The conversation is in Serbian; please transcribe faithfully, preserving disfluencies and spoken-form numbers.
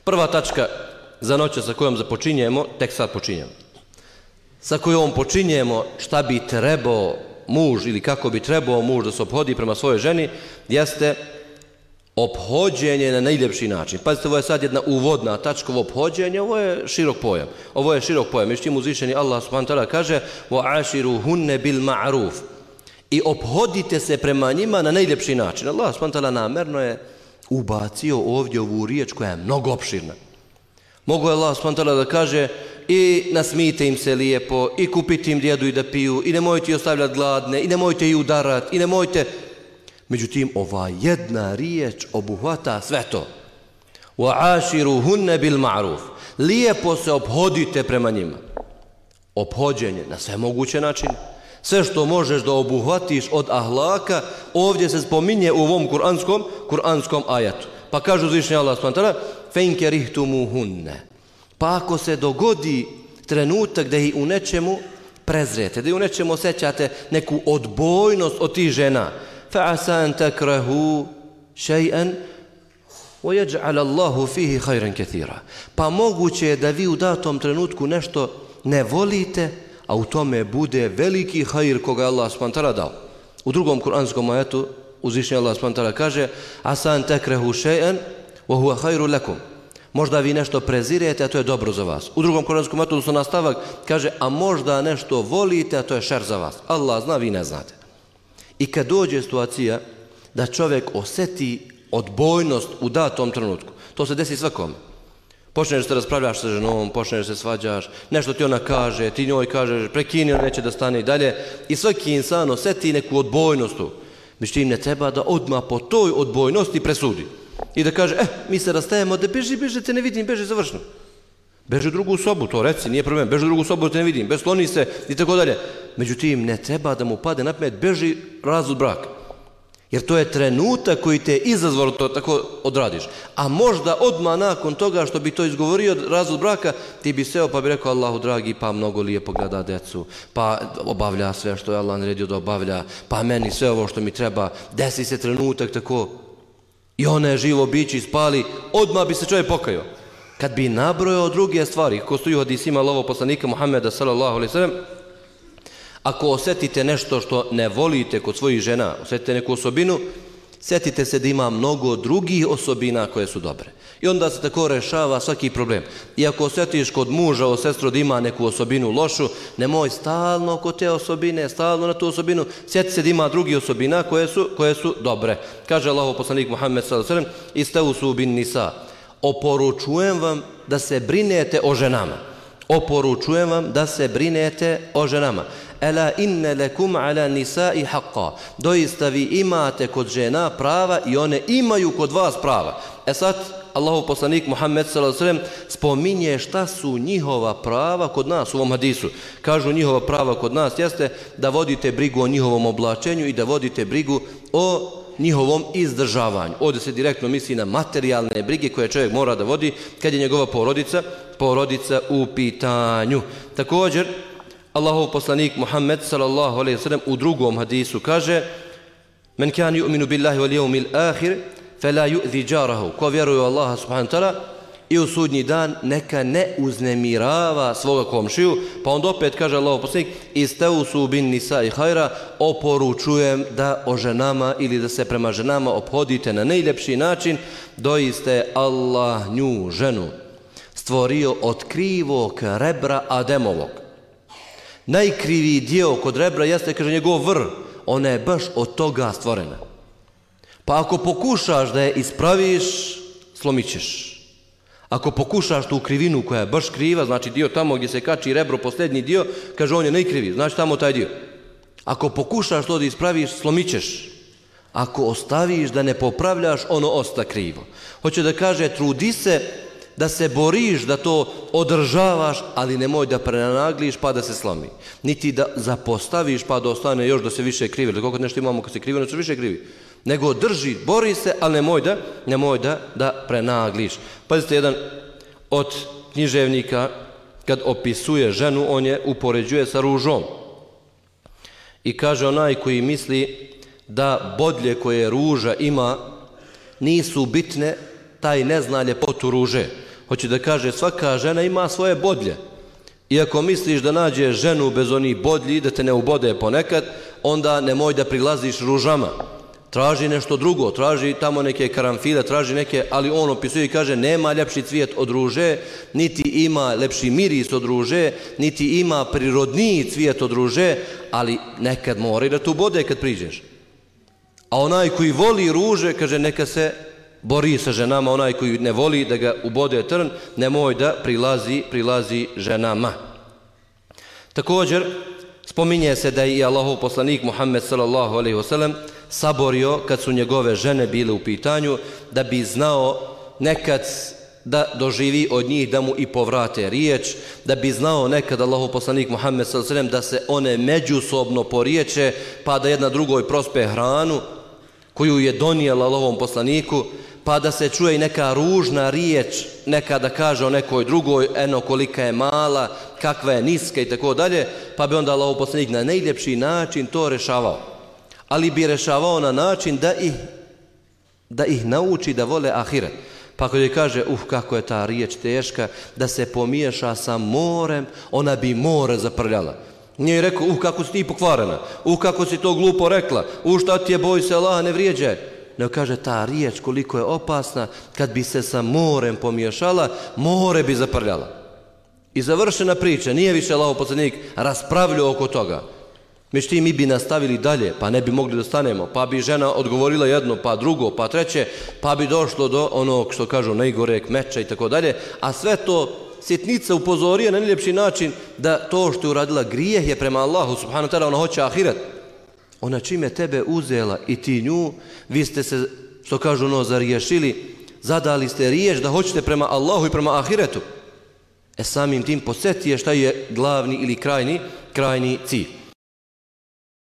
Prva tačka za noć sa kojom započinjemo, tek sad počinjemo. Sa kojom počinjemo šta bi trebao muž ili kako bi trebao muž da se ophodi prema svojoj ženi, jeste ophođenje na najljepši način. Pazite, ovo je sad jedna uvodna tačka, ovo ophođenje, ovo je širok pojam. Ovo je širok pojam. Međutim, uzvišeni Allah subhanahu wa ta'ala kaže وَعَاشِرُهُنَّ بِالْمَعْرُوفِ i ophodite se prema njima na najljepši način. Allah subhanahu wa ta'ala namerno je ubacio ovdje ovu riječ koja je mnogo opširna. Mogu je Allah subhanahu wa ta'ala da kaže i nasmijte im se lijepo, i kupite im da jedu i da piju, i nemojte ih ostavljati gladne, i nemojte ih udarati, i nemojte... Međutim, ova jedna riječ obuhvata sve to. وَعَاشِرُهُنَّ بِالْمَعْرُوفِ lijepo se ophodite prema njima. Ophođenje na sve moguće načine. Sve što možeš da obuhvatiš od ahlaka, ovdje se spominje u ovom kuranskom, kuranskom ajatu. Pa kaže uzvišeni Allah subhanahu wa ta'ala فَإِنْ كَرِهْتُمُوهُنَّ pa ako se dogodi trenutak da ih u nečemu prezrete, da ih u nečemu osjećate neku odbojnost od tih žena, فَعَسَا أَنْ تَكْرَهُ شَيْئًا وَيَجْعَلَ اللَّهُ فِيهِ خَيْرًا كَثِيرًا pa moguće je da vi u datom trenutku nešto ne volite, a u tome bude veliki hajr koga je Allah subhanahu wa ta'ala dao. U drugom kuranskom ajetu uzvišeni Allah subhanahu wa ta'ala kaže عَسَا أَنْ تَكْرَهُ شَيْئًا وَهُوَ خَيْرٌ لَكُمْ možda vi nešto prezirete, a to je dobro za vas. U drugom kuranskom ajetu odnosno nastavak kaže a možda nešto volite, a to je šer za vas. Allah zna, vi ne znate. I kad dođe situacija da čovjek osjeti odbojnost u datom trenutku, to se desi svakome. Počneš da se raspravljaš sa ženom, počneš da se svađaš, nešto ti ona kaže, ti njoj kažeš, prekini, ona neće da stane i dalje. I svaki insan osjeti neku odbojnost tu. Međutim, ne treba da odmah po toj odbojnosti presudi. I da kaže, eh, mi se rastajemo, da beži, beži, te ne vidim, beži, završno. Beži u drugu sobu, to reci, nije problem, beži u drugu sobu, te ne vidim, besloni se i tako dalje. Međutim, ne treba da mu pade na pamet, beži, razvod braka. Jer to je trenutak koji te izazvalo to tako odradiš. A možda odmah nakon toga što bi to izgovorio razvod braka, ti bi seo pa bi rekao Allahu dragi, pa mnogo lijepo gleda decu, pa obavlja sve što je Allah naredio da obavlja, pa meni sve ovo što mi treba, desi se trenutak tako. I ona je živo biće ispali, odmah bi se čovjek pokajao. Kad bi nabrojao druge stvari, ko stoji u hadisima Allahovog poslanika Muhammeda sallallahu alejhi ve sellem, ako osjetite nešto što ne volite kod svojih žena, osjetite neku osobinu, sjetite se da ima mnogo drugih osobina koje su dobre. I onda se tako rešava svaki problem. I ako osjetiš kod muža o sestru da ima neku osobinu lošu, nemoj stalno kod te osobine, stalno na tu osobinu, sjeti se da ima drugih osobina koje su, koje su dobre. Kaže Allahov poslanik Muhammed sallallahu alejhi ve sellem, istausu bin nisa, oporučujem vam da se brinete o ženama. Oporučujem vam da se brinete o ženama. Ela inne lekum ala nisai haqqa. Doista vi imate kod žena prava i one imaju kod vas prava. E sad, Allahov poslanik Muhammed sallallahu alejhi ve sellem spominje šta su njihova prava kod nas u ovom hadisu. Kažu njihova prava kod nas jeste da vodite brigu o njihovom oblačenju i da vodite brigu o njihovom izdržavanju. Ovdje se direktno misli na materijalne brige koje čovjek mora da vodi kad je njegova porodica, porodica u pitanju. Također, Allahov poslanik Muhammed sallallahu alejhi ve sellem u drugom hadisu kaže: "Men kan yu'minu billahi wal yawmil akhir fala yu'zi jarahu." Ko vjeruje u Allaha subhanahu wa ta'ala i u sudnji dan neka ne uznemirava svoga komšiju. Pa onda opet kaže Allahov poslanik: "Istausu bin nisa'i khaira." Oporučujem da o ženama ili da se prema ženama ophodite na najljepši način. Doista je Allah nju ženu stvorio od krivog rebra Ademovog. Najkriviji dio kod rebra jeste, kaže, njegov vr. Ona je baš od toga stvorena. Pa ako pokušaš da je ispraviš, slomit ćeš. Ako pokušaš tu krivinu koja je baš kriva, znači dio tamo gdje se kači rebro, posljednji dio, kaže on je najkriviji, znači tamo taj dio. Ako pokušaš to da ispraviš, slomit ćeš. Ako ostaviš da ne popravljaš, ono osta krivo. Hoće da kaže, trudi se da se boriš, da to održavaš, ali nemoj da prenagliš pa da se slomi. Niti da zapostaviš pa da ostane još da se više krivi. Ili koliko nešto imamo kad se krivi, ono se više krivi. Nego drži, bori se, ali nemoj da, nemoj da, da prenagliš. Pazite, jedan od književnika, kad opisuje ženu, on je upoređuje sa ružom. I kaže, onaj koji misli da bodlje koje ruža ima nisu bitne, taj ne zna ljepotu ruže. Hoće da kaže, svaka žena ima svoje bodlje. Iako misliš da nađeš ženu bez onih bodlji, da te ne ubode ponekad, onda nemoj da prilaziš ružama. Traži nešto drugo, traži tamo neke karanfile, traži neke, ali on opisuje i kaže, nema ljepši cvijet od ruže, niti ima lepši miris od ruže, niti ima prirodniji cvijet od ruže, ali nekad mora i da tu bode kad priđeš. A onaj koji voli ruže, kaže, neka se bori sa ženama, onaj koji ne voli da ga ubode trn, nemoj da prilazi, prilazi ženama. Također, spominje se da je i Allahov poslanik Muhammed sallallahu alejhi ve sellem saborio kad su njegove žene bile u pitanju, da bi znao nekad da doživi od njih da mu i povrate riječ, da bi znao nekad Allahov poslanik Muhammed sallallahu alejhi ve sellem da se one međusobno poriječe, pa da jedna drugoj prospe hranu koju je donijela Allahovom poslaniku, pa da se čuje i neka ružna riječ, neka da kaže o nekoj drugoj, eno kolika je mala, kakva je niska i tako dalje, pa bi onda Allahov poslanik na najljepši način to rešavao. Ali bi rešavao na način da ih, da ih nauči da vole ahiret. Pa ako je kaže, uh, kako je ta riječ teška, da se pomiješa sa morem, ona bi more zaprljala. Nije rekao, uh, kako si ti pokvarena, uh, kako si to glupo rekla, uh, šta ti je, boj se Allaha, ne vrijeđaj. Ne kaže, ta riječ koliko je opasna, kad bi se sa morem pomiješala, more bi zaprljala. I završena priča, nije više Allahov poslanik raspravljao oko toga. Međutim, mi bi nastavili dalje, pa ne bi mogli da stanemo, pa bi žena odgovorila jedno, pa drugo, pa treće, pa bi došlo do onog što kažu najgoreg meča i tako dalje, a sve to sitnica upozorija na najljepši način da to što je uradila grijeh je prema Allahu subhanahu wa ta'ala, ona hoće ahiret. Ona čime tebe uzela i ti nju, vi ste se, što kažu, ono, zariješili, zadali ste riječ da hoćete prema Allahu i prema ahiretu. E samim tim posjetije šta je glavni ili krajni, krajni cilj.